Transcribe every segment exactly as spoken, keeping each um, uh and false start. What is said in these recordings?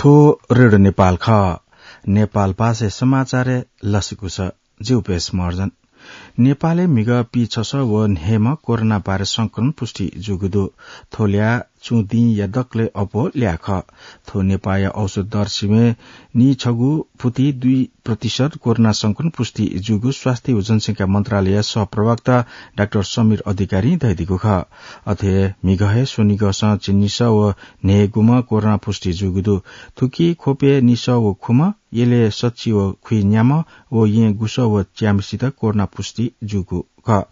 ओ रेडियो नेपाल खः। नेपाल भाषाय् समाचारय् लसकुस। जिउ पेश महर्जन। नेपालय् म्हिगः पीछसः व न्हय्म्ह कोरोना भाइरस संक्रमण पुष्टि जूगु दु। थ्व ल्याः चुं दिंया दकलय् अप्वः ल्याः खः। थ्व नेपाःया औसत दर सिबें नीछगू फुति दुई प्रतिशत कोरोना संक्रमण पुष्टि जूगु स्वास्थ्य व जनसंख्या मन्त्रालयया सहप्रवक्ता डाक्टर समीर अधिकारीं धयादीगु खः। अथे हे म्हिगः हे स्वनिगःसं झिंनिसः व न्हय्गुम्ह कोरोना पुष्टि जूगु दु। थुकी ख्वपय् निसः व खुम्ह, यलय् सच्छि व खुइन्याम्ह व येँ गुसः व च्याम्हसित कोरोना पुष्टि जूगु खः।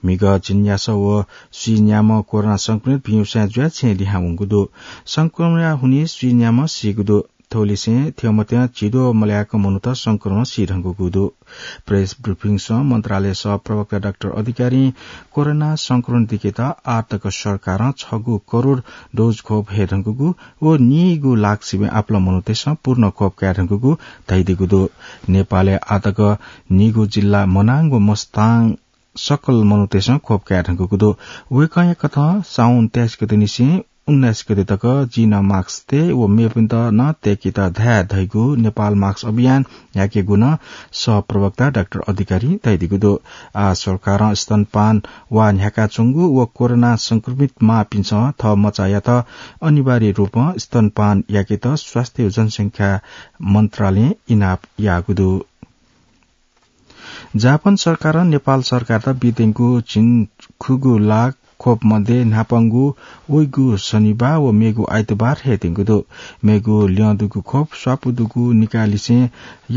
म्हिगः झिंन्यासः व स्वीन्याम्ह कोरोना संक्रमित भिंगुसाँय् जुयाः छेँय् लिहां वंगु दु। संक्रमणया हुनिं स्वीन्याम्ह सीगु दु। थ्वलिसें थ्यंमथ्यं झिद्वः मल्याक मनूत संक्रमणं सी धुंकूगु दु। प्रेस ब्रिफिङसं मन्त्रालय सहप्रवक्ता डाक्टर अधिकारीं कोरोना संक्रमण दिकेत आःतक सरकारं छगू करोड डोज खोप हये धुंकूगु व नीगू लाख सिबें आपालं मनूतय्सं पूर्ण खोप काये धुंकूगु धयादीगु दु। नेपालय् आःतक नीगू जिल्ला मनाङ व मस्ताङ सकल मनूतय्सं खोप काये धुंकूगु दु। वय्कःया कथं साउन तेइस गते निसें उन्नाइस गते तक जिं नं मास्क तये व मेपिन्त नं तय्केत धाये धइगु नेपाल मास्क अभियान न्ह्याकेगु नं सहप्रवक्ता डाक्टर अधिकारीं धयादीगु दु। आः सरकारं स्तनपान वा न्ह्याकाच्वंगु व कोरोना संक्रमित मांपिन्सं थः मचायात अनिवार्य रूपं स्तनपान याकेत स्वास्थ्य व जनसंख्या मन्त्रालयं इनाप याःगु दु। जापान सरकारं नेपाल सरकारत बीत्यंगु झिंखुगू लाख खोप मध्ये न्हापांगु वइगु शनिबाः व मेगु आइतबार हयेत्यंगु दु। मेगु ल्यं दुगु खोप स्वापू दुगु निकाःलिसें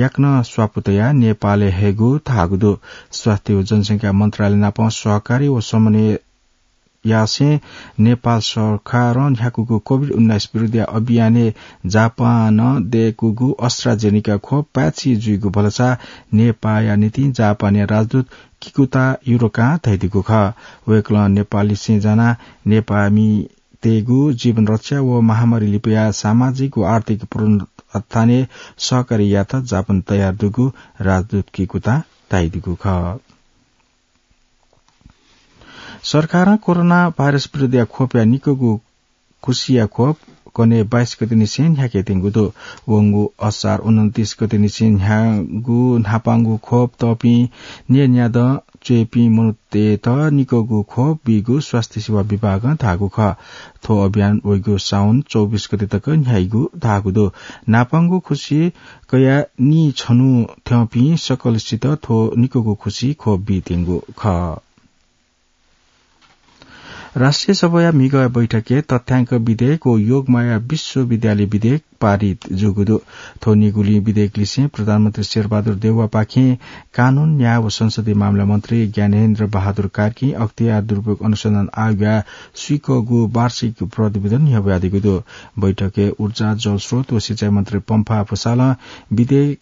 याकनं स्वापू तयाः नेपालय् हयेगु धाःगु दु। स्वास्थ्य व जनसंख्या मन्त्रालय नाप सहकारी व समन्वय यासें नेपाल सरकारं न्ह्याकूगु कोभिड उन्नाइस विरुद्धया अभियानय् जापानं दय्कूगु AstraZeneca खोप पाय्छि जुइगु भलसा नेपाःया निंतिं जापानया राजदूत किकुता युरोकां धयादीगु खः। वय्कलं नेपाललिसें जानाः नेपाःमितय्गु जीवन रक्षा व महामारी लिपया सामाजिक व आर्थिक पुनरुत्थानय् सहकार्य यायेत जापान तयार दुगु राजदूत किकुतां धयादीगु खः। सरकारं कोरोना भाइरस विरुद्धया खोपया निकःगु खुसिया खोप कन्हय् बाइस गते निसें न्ह्याकेत्यंगु दु। वंगु असार उनन्तीस गते निसें न्ह्याःगु न्हापांगु खोप तःपिं न्यय्न्यादँ च्वय्पिं मनूतय्त निकःगु खोप बीगु स्वास्थ्य सेवा विभागं धाःगु खः। थ्व अभियान वइगु साउन चौबिस गते तक न्ह्याइगु धाःगु दु। न्हापांगु खुसि कयाः नीछन्हु थ्यंपिं सकलसित थ्व निकःगु खुसि खोप बीत्यंगु खः। राष्ट्रिय सभाया म्हिगः बैठकय् तथ्याङ्क विधेयक व योगमाया विश्वविद्यालय विधेयक पारित जूगु दु। थ्व निगुलिं विधेयकलिसें प्रधानमन्त्री शेरबहादुर देउवापाखें कानून, न्याय व संसदीय मामला मन्त्री ज्ञानेन्द्र बहादुर कार्कीं अख्तियार दुरुपयोग अनुसन्धान आयोगया स्वीकःगु वार्षिक प्रतिवेदन न्ह्यब्वयादीगु दु। बैठकय् ऊर्जा, जलस्रोत व सिँचाइ मन्त्री पम्फा भुसालं विधेयक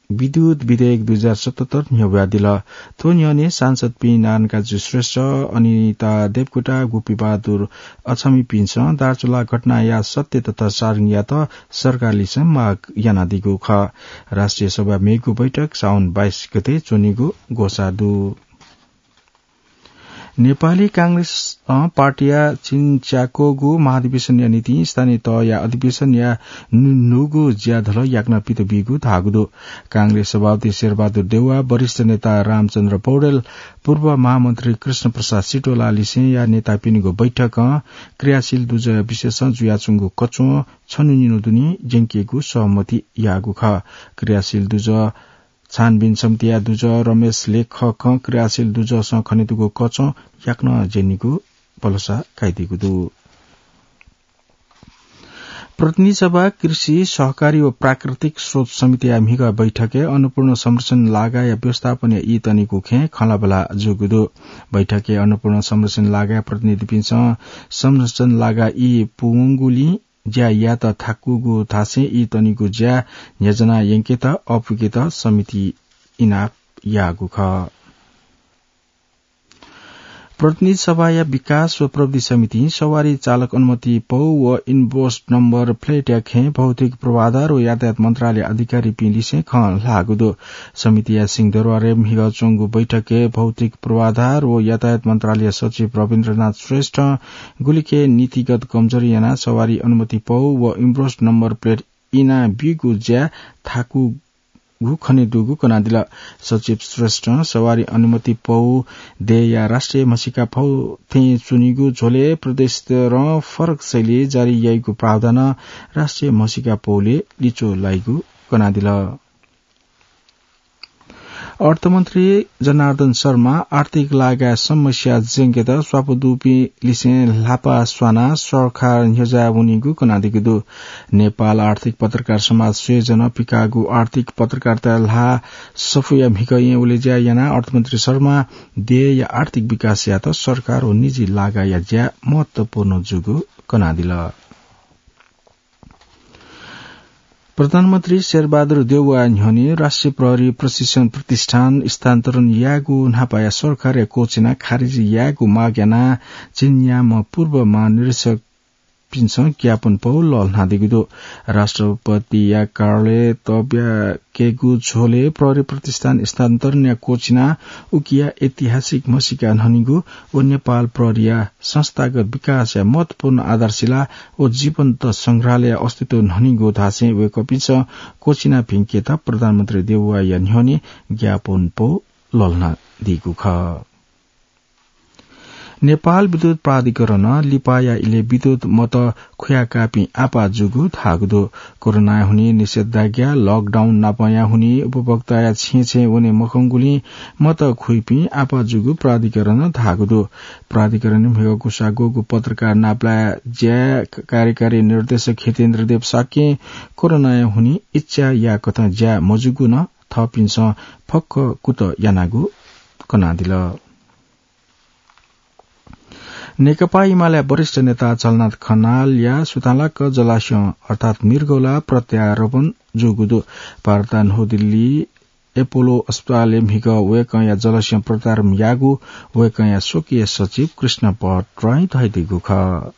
विद्युत विधेयक दुई हजार सतहत्तर न्ह्यब्वयादिल। थ्व न्ह्यःने सांसदपिं नारायणकाजी श्रेष्ठ, अनिता देवकोटा, गोपीबहादुर अछामीपिन्सं दार्चुला घटनाया सत्य तथा सारंगीयात सरकारलिसें माग यानादीगु खः। राष्ट्रिय सभा मेगु बैठक साउन बाइस गते च्वनीगु ग्वसाः दु। नेपाली कांग्रेसं पार्टीया झिंच्याक्वःगु महाधिवेशनया निंतिं स्थानीय तहया अधिवेशनया नु-, न्हूगु ज्याझ्वलय् याकनं पित बीगु धाःगु दु। कांग्रेस सभापति शेरबहादुर देउवा, वरिष्ठ नेता रामचन्द्र पौडेल, पूर्व महामन्त्री कृष्ण प्रसाद सिटोलालिसेंया नेतापिनिगु बैठकं क्रियाशील दुजःया विषयसं जुयाच्वंगु कच्वं छन्हु निन्हु दुने ज्यंकेगु सहमति याःगु खः। क्रियाशील दुजः छानबिन समितिया दुजः रमेश लेखकं क्रियाशील दुजःसं खनेदुगु कच्वं याकनं ज्यनीगु भलसा काइदीगु दु। प्रतिनिधि सभा कृषि, सहकारी व प्राकृतिक स्रोत समितिया म्हिगः बैठकय् अन्नपूर्ण संरक्षण लागाया व्यवस्थापनया ई तनीगु खँय् खँल्हाबल्हा जूगु दु। बैठकय् अन्नपूर्ण संरक्षण लागाया प्रतिनिधिपिन्सं संरक्षण लागा ई पूवंगुलिं ज्या यायेत थाकूगु धासें ई तनीगु ज्या न्ह्यज्याना यंकेत अःपुकेत समितिं इनाप याःगु खः। प्रतिनिधि सभाया विकास व प्रविधि समितिं सवारी चालक अनुमति पौ व इन्भोइस नम्बर प्लेटया खँय् भौतिक पूर्वाधार व यातायात मन्त्रालय अधिकारीपिं लिसें खँ ल्हाःगु दु। समितिया सिंहदरबारय् म्हिगः च्वंगु बैठकय् भौतिक पूर्वाधार व यातायात मन्त्रालय सचिव रविन्द्रनाथ श्रेष्ठं गुलिखे नीतिगत कमजोरी यानाः सवारी अनुमति पौ व इन्भोइस नम्बर प्लेट इना बीगु ज्या थाकु गु खने दुगु कनादिल। सचिव श्रेष्ठं सवारी अनुमति पौ देय्‌या राष्ट्रिय म्हसीका फौ थें च्वनीगु झ्वलय् प्रदेशस्तरं फरक शैली जारी याइगु प्रावधानं राष्ट्रिय म्हसीका पौले लिचो लाइगु कनादिल। अर्थमन्त्री जनार्दन शर्मा आर्थिक लागाय् समस्या ज्यंकेत स्वापू दुपिं लिसें ल्हापा स्वानाः सरकार न्ह्यज्याः वनीगु कनादीगु दु। नेपाल आर्थिक पत्रकार समाज संयोजनं पिकाःगु आर्थिक पत्रकारिता ल्हाः सफूया म्हिगः येँ वलेज्या यानाः अर्थमन्त्री शर्मा देय्‌या आर्थिक विकास यायेत सरकार व निजी लागाया ज्या महत्वपूर्ण जूगु कनादिल। प्रधानमन्त्री शेरबहादुर देउवाया न्ह्यःने राष्ट्रिय प्रहरी प्रशिक्षण प्रतिष्ठान स्थानान्तरण यायेगु न्हापाया सरकारया क्वःछिना खारेजी यायेगु माग यानाः झिंन्याम्ह पूर्व महानिरीक्षकपिन्सं ज्ञापन पौ लःल्हानादीगु दु। राष्ट्रपतिया कार्यालय तब्याकेगु झ्वलय् प्रहरी प्रतिष्ठान स्थानान्तरणया क्वःछिना उकिया ऐतिहासिक म्हसीका न्हनीगु व नेपाल प्रहरीया संस्थागत विकासया महत्वपूर्ण आधारशिला व जीवन्त संग्रहालय अस्तित्व न्हनीगु धासें वय्‌कःपिन्सं क्वःछिना भिंकेत प्रधानमन्त्री देउवाया न्ह्यःने ज्ञापन पौ लःल्हानादीगु खः। नेपाल विद्युत प्राधिकरणं लिपाया इलय् विद्युत मत खुयाकाःपिं आपाः जूगु धाःगु दु। कोरोनाया हुनिं निषेधाज्ञा, लकडाउन नापंया हुनिं उपभोक्ताया छेँय् छेँय् वने मखंगुलिं मत खुइपिं आपाः जूगु प्राधिकरणं धाःगु दु। प्राधिकरणं म्हिगः गुसागोगु पत्रकार नापलाये ज्या कार्यकारी निर्देशक हितेन्द्र देव शाक्यं कोरोनाया हुनिं इच्छा याःकथं ज्या मजूगु नं थःपिन्सं फक्व कुतः यानागु कनादिल। नेकपा एमालेया वरिष्ठ नेता झलनाथ खनालया सुतांलाक जलास्यं अर्थात् मृगौला प्रत्यारोपण जूगु दु। भारतया नवदिल्ली एपोलो अस्पतालय् म्हिगः वय्‌कःया जलास्यं प्रत्यारोपण याःगु वय्‌कःया स्वकीय सचिव कृष्ण भट्टराईं धयादीगु खः।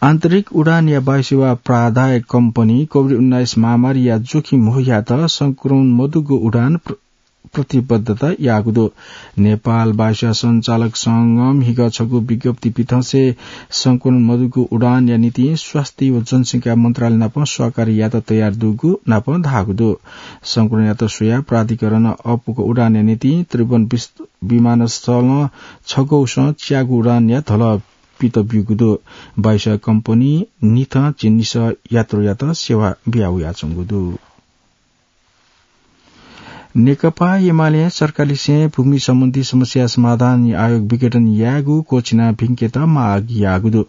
आन्तरिक उडानया वायुसेवा प्राधायक कम्पनी कोभिड उन्नाइस महामारीया जोखिम हुयात संक्रमण मदुगु उडान प्र-, प्रतिबद्धता याःगु दु। नेपाल वायुसेवा सञ्चालक संघं म्हिगः छगू विज्ञप्ति पिथंसे संक्रमण मदुगु उडानया निंतिं स्वास्थ्य व जनसंख्या मन्त्रालय नाप सहकार्य यात तयार दुगु नाप धाःगु दु। संक्रमणयात स्वयाः प्राधिकरणं अःपुक उडानया निंतिं त्रिभुवन विस-, विमानस्थलं छगौसं च्यागू उडानया धलः पित ब्यूगु दु। वायुसेवा कम्पनी निथं झिंनिसः यात्रुयात सेवा बिया वयाच्वंगु दु। नेकपा एमालें सरकारलिसें भूमि सम्बन्धी समस्या समाधान आयोग विघटन यायेगु क्वःछिना भिंकेत माग याःगु दु।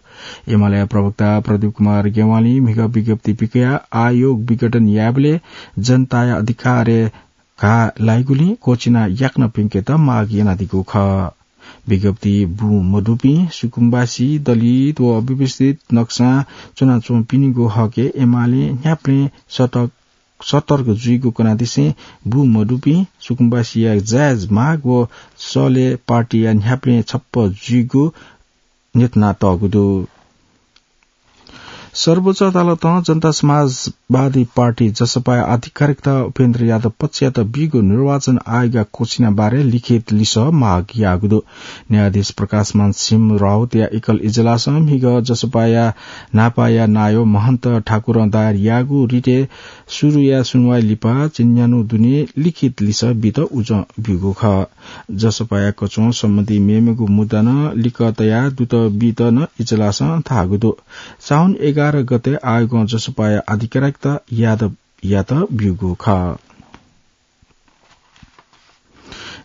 एमाले प्रवक्ता प्रदीप कुमार ज्ञवालीं म्हिगः विज्ञप्ति पिकयाः आयोग विघटन यायेबलय् जनताया अधिकारय् घाः लाइगुलिं क्वःछिना याकनं भिंकेत माग यानादीगु खः। विज्ञप्ति बुँ मदुपिं सुकुम्बासी, दलित व अव्यवस्थित नक्सां च्वनाच्वंपिनिगु हकय् एमालें न्ह्याबलें सतर्क, सतर्क जुइगु कनादिसें बुँ मदुपिं सुकुम्बासीया जायज माग व सलय् पार्टीया न्ह्याबलें छप्पँ जुइगु न्ह्यथनातःगु दु। सर्वोच्च अदालतं जनता समाजवादी पार्टी जसपाया अधिकारीयात उपेन्द्र यादव पक्षयात बीगु निर्वाचन आयोगया क्वःछिना बारे लिखित लिसः माग याःगु दु। न्यायाधीश प्रकाशमान सिंह राउतया एकल इजलासं म्हिगः जसपाया न्हापाया नायः महन्त ठाकुरं दायर याःगु रिटय् सुरुया सुनुवाइ लिपा झिंन्यान्हु दुने लिखित लिसः बीत उजं ब्यूगु खः। जसपाया कच्वं सम्बन्धी मेमेगु मुद्दा नं लिक्क तयाः दुत बीत नं इजलासं धाःगु दु। साउन एघार गते आयोगं जसपाया अधिकारीयात यादवयात ब्यूगु खः।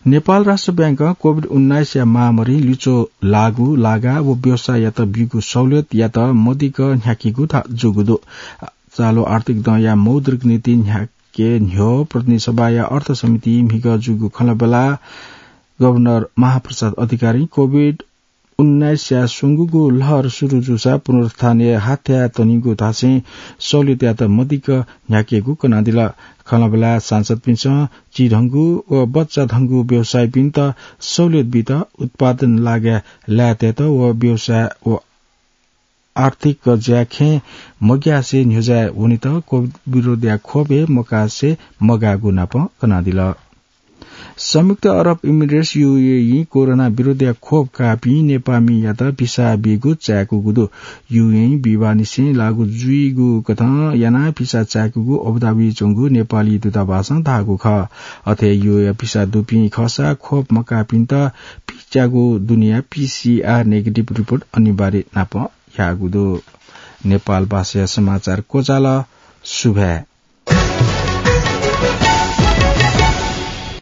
नेपाल राष्ट्र बैंकं कोभिड उन्नाइसया महामारीं लिचो लाःगु लागा व व्यवसाययात ब्यूगु सहुलियतयात मदिक्क न्ह्याकीगु धा-, जूगु दु। चालु आर्थिक दँया मौद्रिक नीति न्ह्याके न्ह्यः प्रतिनिधि सभाया अर्थ समिति म्हिगः जूगु खँल्हाबल्हा गभर्नर महाप्रसाद अधिकारीं कोभिड उन्नाइसया स्वंगूगु लहर सुरु जूसा पुनरुत्थानय् हाथ्याः तनीगु धासें सहुलियतयात मदिक्क न्ह्याकेगु कनादिल। खँल्हाबल्हा सांसदपिन्सं चिधंगु व बच्चाधंगु व्यवसायीपिन्त सहुलियत बीत, उत्पादन लागाय् लायेतयेत व व्यवसाय व आर्थिक ज्याखँय् मग्यासे न्ह्यज्याः वनेत कोभिड विरोधया खोपय् मकासे मगाःगु नाप कनादिल। संयुक्त अरब इमिरेट्स, यूएई, कोरोना विरुद्धया खोप काःपिं नेपाःमियात भिसा बीगु चाय्‌कूगु दु। यूएई बिहिबाःनिसें लागू जुइगु कथं यानाः भिसा चाय्‌कूगु अबुधाबी च्वंगु नेपाली दूतावासं धाःगु खः। अथे यूएई भिसा दुपिं खःसा खोप मकाःपिन्त पिच्यागु दुनेया पीसीआर नेगेटिभ रिपोर्ट अनिवार्य नाप याःगु दु। नेपाल भाषाया समाचार क्वचाल। सुभाय्।